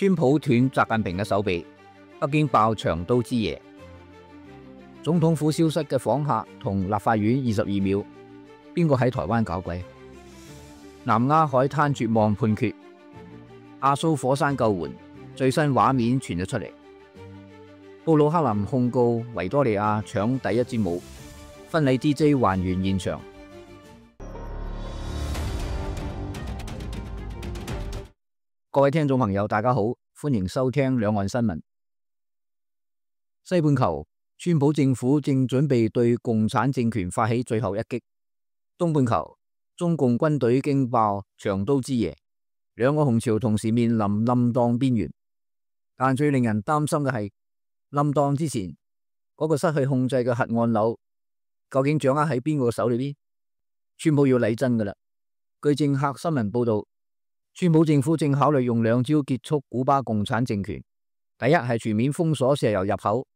川普斷習近平嘅手臂，北京爆長刀之夜。總統府消失嘅訪客同立法院22秒，邊個喺台灣搞鬼？南丫海灘絕望判決，亞蘇火山救援最新畫面傳咗出嚟。布魯克林控告維多利亞搶第一支舞，婚禮 DJ 還原現場。各位聽眾朋友，大家好，歡迎收聽兩岸新聞。西半球，川普政府正準備對共產政權發起最後一擊。東半球，中共軍隊驚爆長刀之夜，兩個紅潮同時面臨冧檔邊緣。但最令人擔心嘅係，冧檔之前嗰個失去控制嘅核按鈕，究竟掌握喺邊個手裏邊？川普要嚟真噶啦！據政客新聞報道，川普政府正考慮用兩招結束古巴共產政權。第一係全面封鎖石油入口，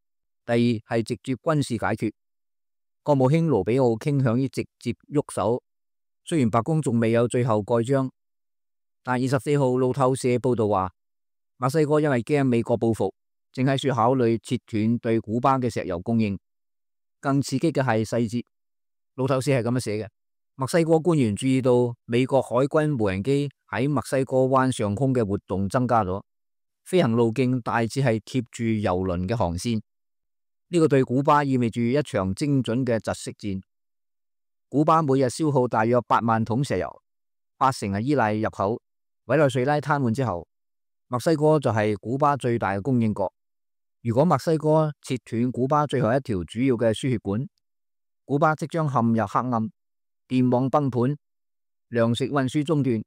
第二係直接軍事解決。國務卿盧比奧傾向於直接喐手，雖然白宮仲未有最後蓋章，但24號路透社報道話，墨西哥因為驚美國報復，正喺度考慮切斷對古巴嘅石油供應。更刺激嘅係細節，路透社係咁樣寫嘅。墨西哥官員注意到美國海軍無人機喺墨西哥灣上空嘅活動增加咗，飛行路徑大致係貼住油輪嘅航線。呢個對古巴意味住一場精準嘅窒息戰。古巴每日消耗大約8萬桶石油，80%係依賴入口。委內瑞拉癱瘓之後，墨西哥就係古巴最大嘅供應國。如果墨西哥切斷古巴最後一條主要嘅輸血管，古巴即將陷入黑暗，電網崩盤，糧食運輸中斷，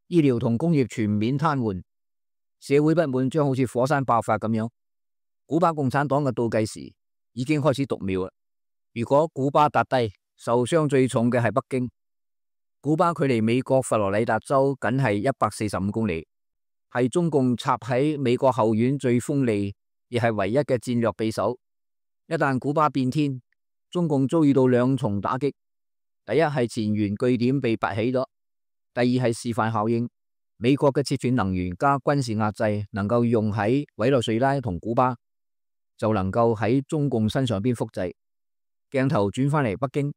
醫療同工業全面癱瘓，社會不滿將好似火山爆發咁樣。古巴共產黨嘅倒計時已經開始讀秒啦。如果古巴撻低，受傷最重嘅係北京。古巴距離美國佛羅里達州僅係145公里，係中共插喺美國後院最鋒利，亦係唯一嘅戰略匕首。一旦古巴變天，中共遭遇到兩重打擊。第一係前沿據點被拔起咗，第二係示範效應。美國嘅切斷能源加軍事壓制能夠用喺委內瑞拉同古巴，就能夠喺中共身上邊複製。鏡頭轉返嚟北京，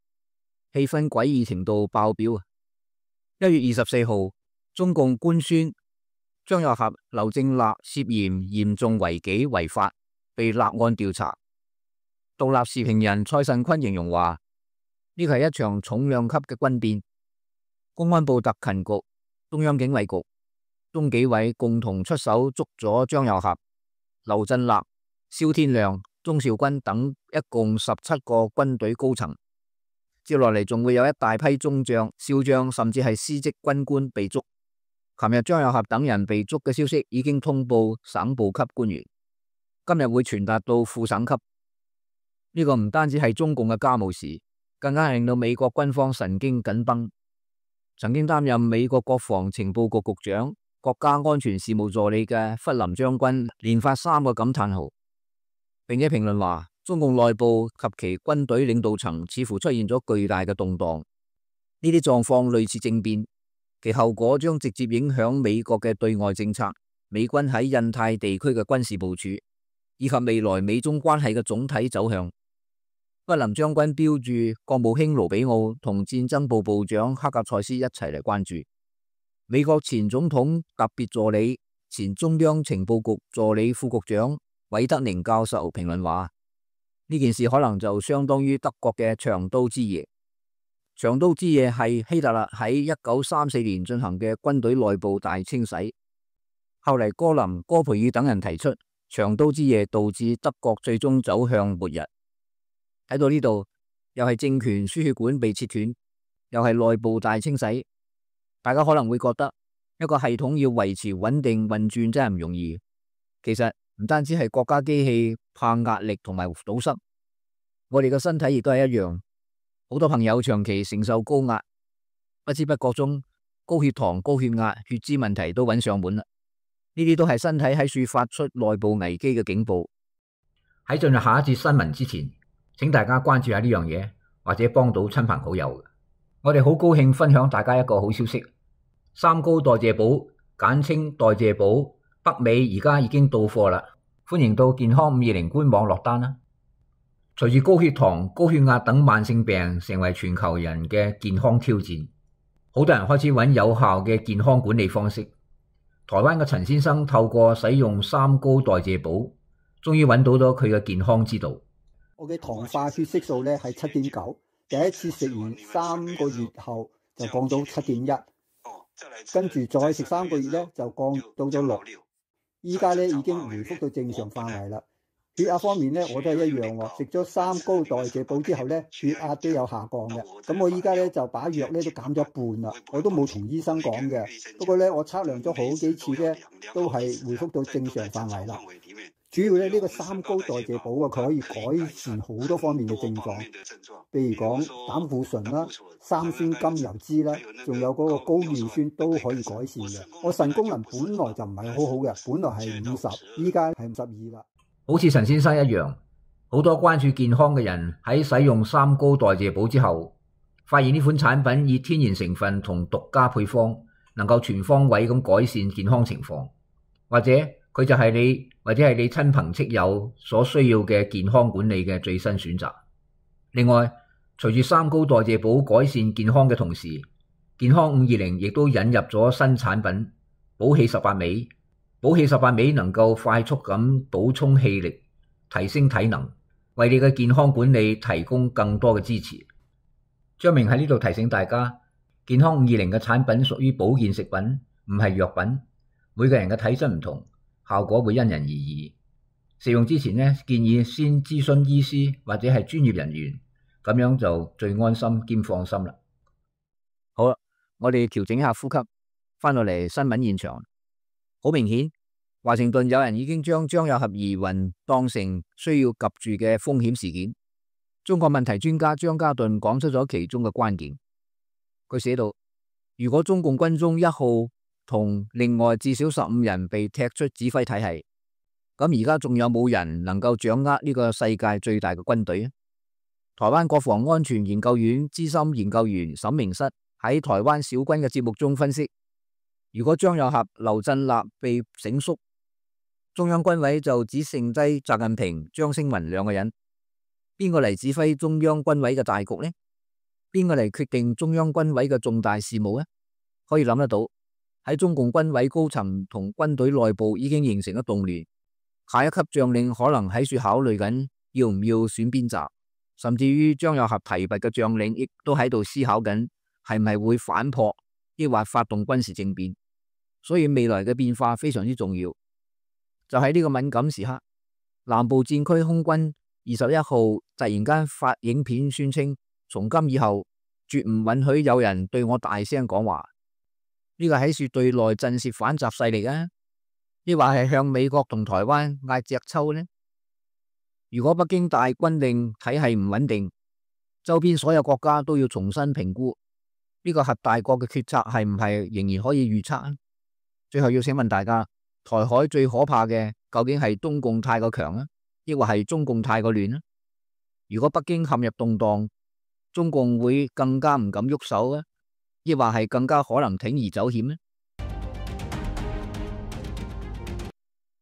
氣氛詭異程度爆表。1月24號，中共官宣張又俠、劉正立涉嫌嚴重違紀違法，被立案調查。獨立時評人蔡慎坤形容話，呢個係一場重量級嘅軍變。公安部特勤局、中央警衛局、中紀委共同出手捉咗張又俠、劉振立、蕭天亮、鍾兆軍等一共17個軍隊高層。接落嚟仲會有一大批中將、少將甚至係司職軍官被捉。琴日張又俠等人被捉嘅消息已經通報省部級官員，今日會傳達到副省級。呢個唔單止係中共嘅家務事，更加係令到美國軍方神經緊繃。曾經擔任美國國防情報局局長、國家安全事務助理嘅弗林將軍連發3個感嘆號，並且評論話，中共內部及其軍隊領導層似乎出現咗巨大嘅動盪。呢啲狀況類似政變，其後果將直接影響美國嘅對外政策、美軍喺印太地區嘅軍事部署，以及未來美中關係嘅總體走向。弗林將軍標注國務卿盧比奧同戰爭部部長克格塞斯一齊嚟關注。美國前總統特別助理、前中央情報局助理副局長韋德寧教授評論話，呢件事可能就相當於德國嘅長刀之夜。長刀之夜係希特勒喺1934年進行嘅軍隊內部大清洗。後嚟戈林、戈培爾等人提出，長刀之夜導致德國最終走向末日。睇到呢度，又係政權輸血管被切斷，又係內部大清洗。大家可能會覺得一個系統要維持穩定運轉真係唔容易。其實唔單止係國家機器怕壓力同埋堵塞，我哋嘅身體亦都係一樣。好多朋友長期承受高壓，不知不覺中高血糖、高血壓、血脂問題都揾上門啦。呢啲都係身體喺處發出內部危機嘅警報。喺進入下一節新聞之前，請大家關注下呢樣嘢，或者幫到親朋好友。我哋好高興分享大家一個好消息，三高代謝寶簡稱代謝寶北美而家已經到貨啦，歡迎到健康520官網落單啦。隨住高血糖、高血壓等慢性病成為全球人嘅健康挑戰，好多人開始揾有效嘅健康管理方式。台灣嘅陳先生透過使用三高代謝寶，終於揾到咗佢嘅健康之道。我嘅糖化血色素咧係7.9，第一次食完3個月後就降到7.1，跟住再食3個月咧就降到咗6，依家咧已經回復到正常範圍啦。血壓方面咧我都係一樣喎，食咗三高代謝寶之後咧血壓都有下降嘅。咁我依家咧就把藥咧都減咗一半啦，我都冇同醫生講嘅。不過咧我測量咗好幾次咧都係回復到正常範圍啦。主要咧呢個三高代謝寶啊，佢可以改善好多方面嘅症狀，譬如講膽固醇啦、三酸甘油脂啦，仲有嗰個高尿酸都可以改善嘅。我腎功能本來就唔係好好嘅，本來係50，依家係52啦。好似陳先生一樣，好多關注健康嘅人喺使用三高代謝寶之後，發現呢款產品以天然成分同獨家配方，能夠全方位咁改善健康情況，或者佢就係你或者係你親朋戚友所需要嘅健康管理嘅最新選擇。另外，隨住三高代謝寶改善健康嘅同時，健康520亦都引入咗新產品寶氣18味。寶氣18味能夠快速咁補充氣力，提升體能，為你嘅健康管理提供更多嘅支持。張明喺呢度提醒大家，健康520嘅產品屬於保健食品，唔係藥品。每個人嘅體質唔同，效果會因人而異。食用之前呢，建議先諮詢醫師或者係專業人員，咁樣就最安心兼放心啦。好啦，我哋調整一下呼吸，翻落嚟新聞現場。好明顯，華盛頓有人已經將張有俠疑雲當成需要及住嘅風險事件。中國問題專家張家頓講出咗其中嘅關鍵。佢寫道：如果中共軍中1號同另外至少15人被踢出指揮體系，咁而家仲有冇人能夠掌握呢個世界最大嘅軍隊？台灣國防安全研究院資深研究員沈明室喺台灣小軍嘅節目中分析。如果張有俠、劉振立被整肅，中央軍委就只剩低習近平、張星雲2個人，邊個嚟指揮中央軍委嘅大局呢？邊個嚟決定中央軍委嘅重大事務呢？可以諗得到，喺中共軍委高層同軍隊內部已經形成咗動亂，下一級將領可能喺處考慮緊要唔要選邊站，甚至於張有俠提拔嘅將領亦都喺度思考緊係唔係會反撲，抑或發動軍事政變。所以未來嘅變化非常之重要。就喺呢個敏感時刻，南部戰區空軍21號突然間發影片宣稱，從今以後絕唔允許有人對我大聲講話。呢個喺處對內震懾反習勢力啊，抑或係向美國同台灣嗌隻抽呢？如果北京大軍令體系唔穩定，周邊所有國家都要重新評估呢個核大國嘅決策係唔係仍然可以預測啊？最後要請問大家，台海最可怕嘅究竟係中共太過強啊，抑或係中共太過亂啊？如果北京陷入動盪，中共會更加唔敢喐手啊，抑或係更加可能鋌而走險呢？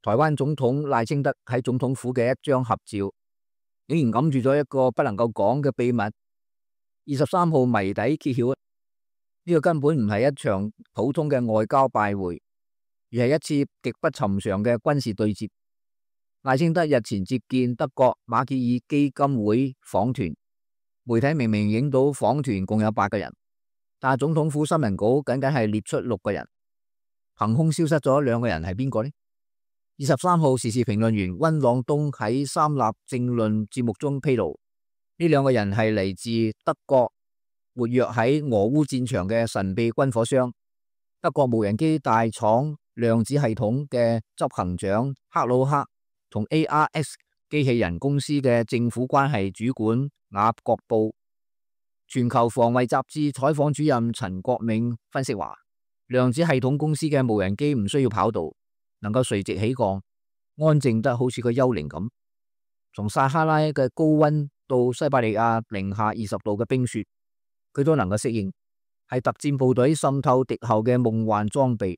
台灣總統賴清德喺總統府嘅一張合照，竟然揞住咗一個不能夠講嘅秘密。23號謎底揭曉，呢個根本唔係一場普通嘅外交拜會，而係一次極不尋常嘅軍事對接。賴清德日前接見德國馬歇爾基金會訪團，媒體明明影到訪團共有8個人，但係總統府新聞稿僅僅係列出6個人，憑空消失咗2個人係邊個呢？23號時事評論員溫朗東喺三立政論節目中披露，呢2個人係嚟自德國活躍喺俄烏戰場嘅神秘軍火商，德國無人機大廠量子系統嘅執行長克魯克同 ARS 機器人公司嘅政府關係主管雅各布。全球防衛雜誌採訪主任陳國銘分析話，量子系統公司嘅無人機唔需要跑道，能夠垂直起降，安靜得好似個幽靈咁。從撒哈拉嘅高溫到西伯利亞-20度嘅冰雪，佢都能夠適應，係特戰部隊滲透敵後嘅夢幻裝備。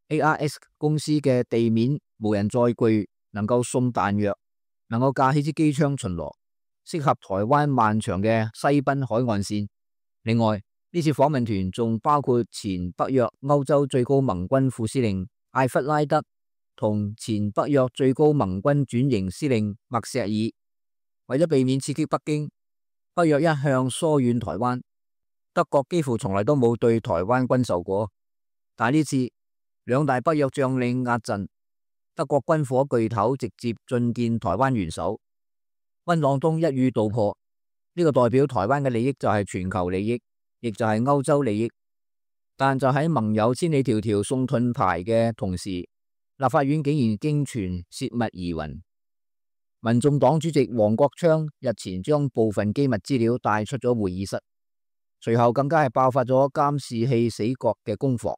ARX 公司嘅地面無人載具能夠送彈藥，能夠架起支機槍巡邏，適合台灣漫長嘅西濱海岸線。另外，呢次訪問團仲包括前北約歐洲最高盟軍副司令艾弗拉德同前北約最高盟軍轉型司令麥石爾。為咗避免刺激北京，北約一向疏遠台灣，德國幾乎從來都冇對台灣軍售過。但呢次兩大北約將領壓陣，德國軍火巨頭直接進見台灣元首，溫朗東一語道破，呢個代表台灣嘅利益就係全球利益，亦就係歐洲利益。但就喺盟友千里迢迢送盾牌嘅同時，立法院竟然驚傳洩密疑雲。民眾黨主席黃國昌日前將部分機密資料帶出咗會議室，隨後更加係爆發咗監視器死角嘅攻防。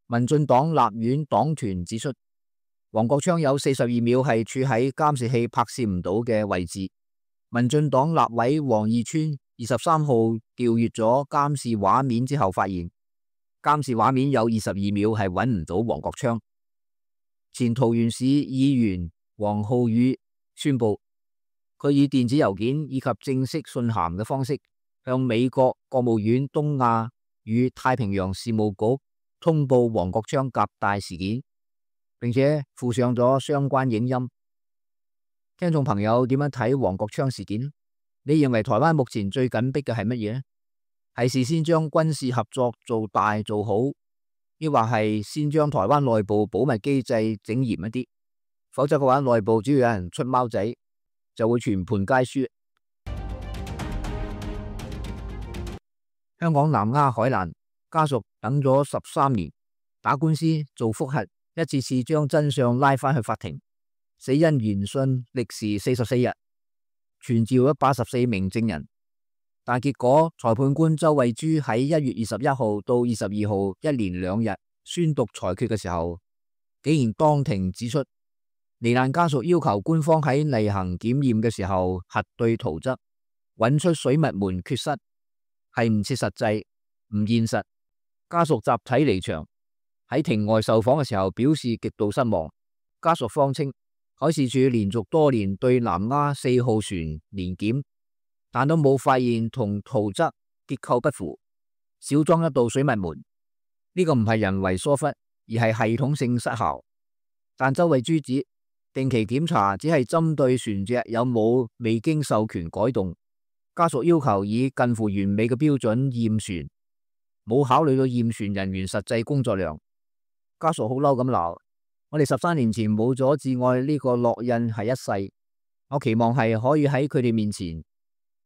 民進黨立院黨團指出，黃國昌有42秒係處喺監視器拍攝唔到嘅位置。民進黨立委黃義川23號調閱咗監視畫面之後，發現監視畫面有22秒係揾唔到黃國昌。前桃園市議員黃浩宇宣布，佢以電子郵件以及正式信函嘅方式向美國國務院東亞與太平洋事務局通報黃國昌夾帶事件，並且附上咗相關影音。聽眾朋友點樣睇黃國昌事件？你認為台灣目前最緊迫嘅係乜嘢呢？係事先將軍事合作做大做好，抑或係先將台灣內部保密機制整嚴一啲？否則嘅話，內部只要有人出貓仔，就會全盤皆輸。香港南丫海難家屬等咗13年，打官司做覆核，一次次將真相拉返去法庭。死因研訊歷時44日，傳召咗84名證人，但結果裁判官周慧珠喺1月21號到22號一連2日宣讀裁決嘅時候，竟然當庭指出，罹難家屬要求官方喺例行檢驗嘅時候核對圖則，揾出水密門缺失，係唔切實際、唔現實。家屬集體離場，喺庭外受訪嘅時候表示極度失望。家屬方稱，海事處連續多年對南丫4號船年檢，但都冇發現同圖則結構不符，少裝一道水密門。呢個唔係人為疏忽，而係系統性失效。但周慧珠指，定期檢查只係針對船隻有冇未經授權改動，家屬要求以近乎完美嘅標準驗船，冇考慮到驗船人員實際工作量。家屬好嬲咁鬧，我哋13年前冇咗至愛呢個烙印係一世，我期望係可以喺佢哋面前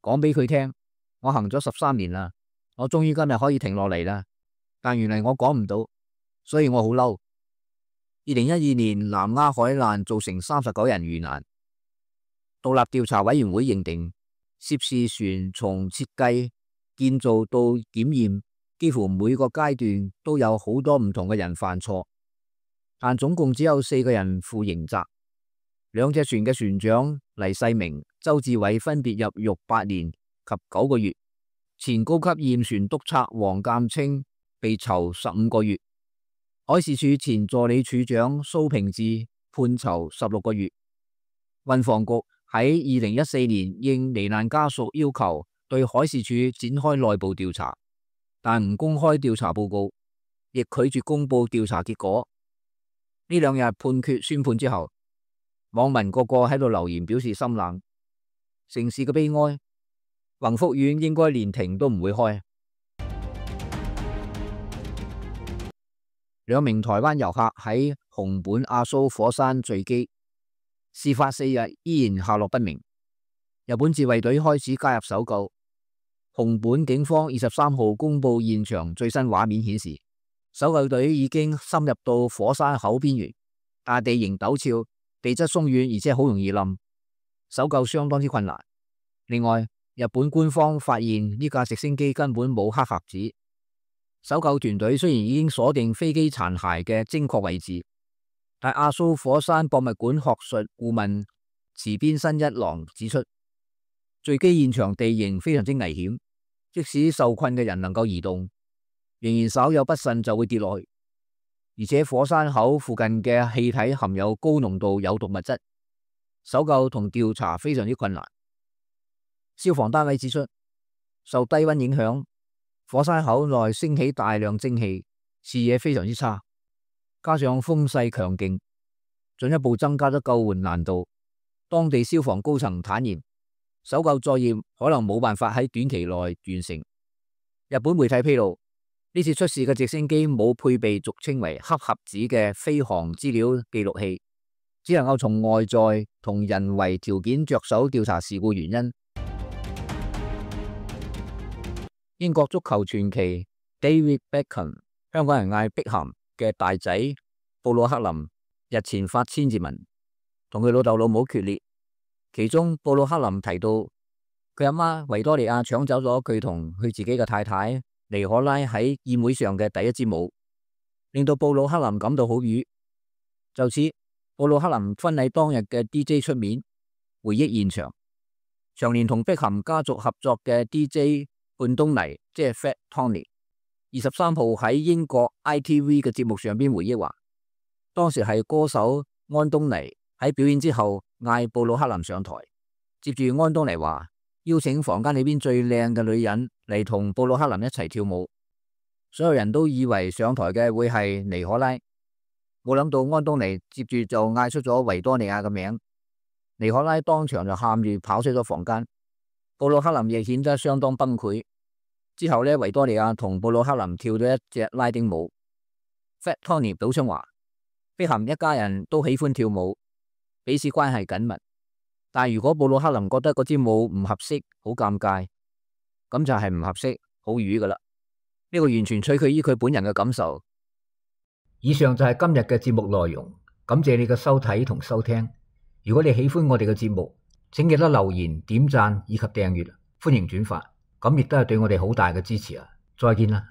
講俾佢聽，我行咗13年啦，我終於今日可以停落嚟啦，但原嚟我講唔到，所以我好嬲。2012年南丫海難造成39人遇難，獨立調查委員會認定涉事船從設計、建造到檢驗，幾乎每個階段都有好多唔同嘅人犯錯，但總共只有4個人負刑責。兩隻船嘅船長黎世明、周志偉分別入獄8年及9個月，前高級驗船督察黃鑑清被囚15個月。海事處前助理處長蘇平志判囚16個月。運防局喺2014年應罹難家屬要求，對海事處展開內部調查，但唔公開調查報告，亦拒絕公布調查結果。呢2日判決宣判之後，網民個個喺度留言表示心冷。城市嘅悲哀，宏福苑應該連庭都唔會開。2名台灣遊客喺熊本阿蘇火山墜機，事發4日依然下落不明。日本自衛隊開始加入搜救。熊本警方23號公布現場最新畫面顯示，搜救隊已經深入到火山口邊緣，但地形陡峭，地質鬆軟，而且好容易冧，搜救相當之困難。另外，日本官方發現呢架直升機根本冇黑匣子。搜救團隊雖然已經鎖定飛機殘骸嘅精確位置，但阿蘇火山博物館學術顧問池邊新一郎指出，墜機現場地形非常之危險，即使受困嘅人能夠移動，仍然稍有不慎就會跌落去。而且火山口附近嘅氣體含有高濃度有毒物質，搜救同調查非常之困難。消防單位指出，受低溫影響，火山口內升起大量蒸汽，視野非常之差，加上風勢強勁，進一步增加咗救援難度。當地消防高層坦言，搜救作業可能冇辦法喺短期內完成。日本媒體披露，呢次出事嘅直升機冇配備俗稱為黑盒子嘅飛行資料記錄器，只能夠從外在同人為條件着手調查事故原因。英國足球傳奇 David Beckham， 香港人嗌碧咸嘅大仔布魯克林日前發千字文，同佢老豆老母決裂。其中布魯克林提到，佢阿媽維多利亞搶走咗佢同佢自己嘅太太尼可拉喺宴會上嘅第一支舞，令到布魯克林感到好瘀。就此，布魯克林婚禮當日嘅 DJ 出面回憶現場，長年同碧咸家族合作嘅 DJ 半東尼即係 Fat Tony， 23號喺英國 ITV 嘅節目上邊回憶話，當時係歌手安東尼喺表演之後嗌布魯克林上台，接住安東尼話邀請房間裏邊最靚嘅女人嚟同布魯克林一齊跳舞，所有人都以為上台嘅會係尼可拉，冇諗到安東尼接住就嗌出咗維多利亞嘅名，尼可拉當場就喊住跑出咗房間，布魯克林亦顯得相當崩潰。之後呢，維多利亞同布魯克林跳咗一隻拉丁舞。Fat Tony 補充話，碧咸一家人都喜歡跳舞，彼此關係緊密。但如果布魯克林覺得嗰支舞唔合適，好尷尬，咁就係唔合適，好瘀噶啦。呢個完全取決於佢本人嘅感受。以上就係今日嘅節目內容，感謝你嘅收睇同收聽。如果你喜歡我哋嘅節目，請記得留言、點讚以及訂閱，歡迎轉發，咁亦都係對我哋好大嘅支持啊！再見啦。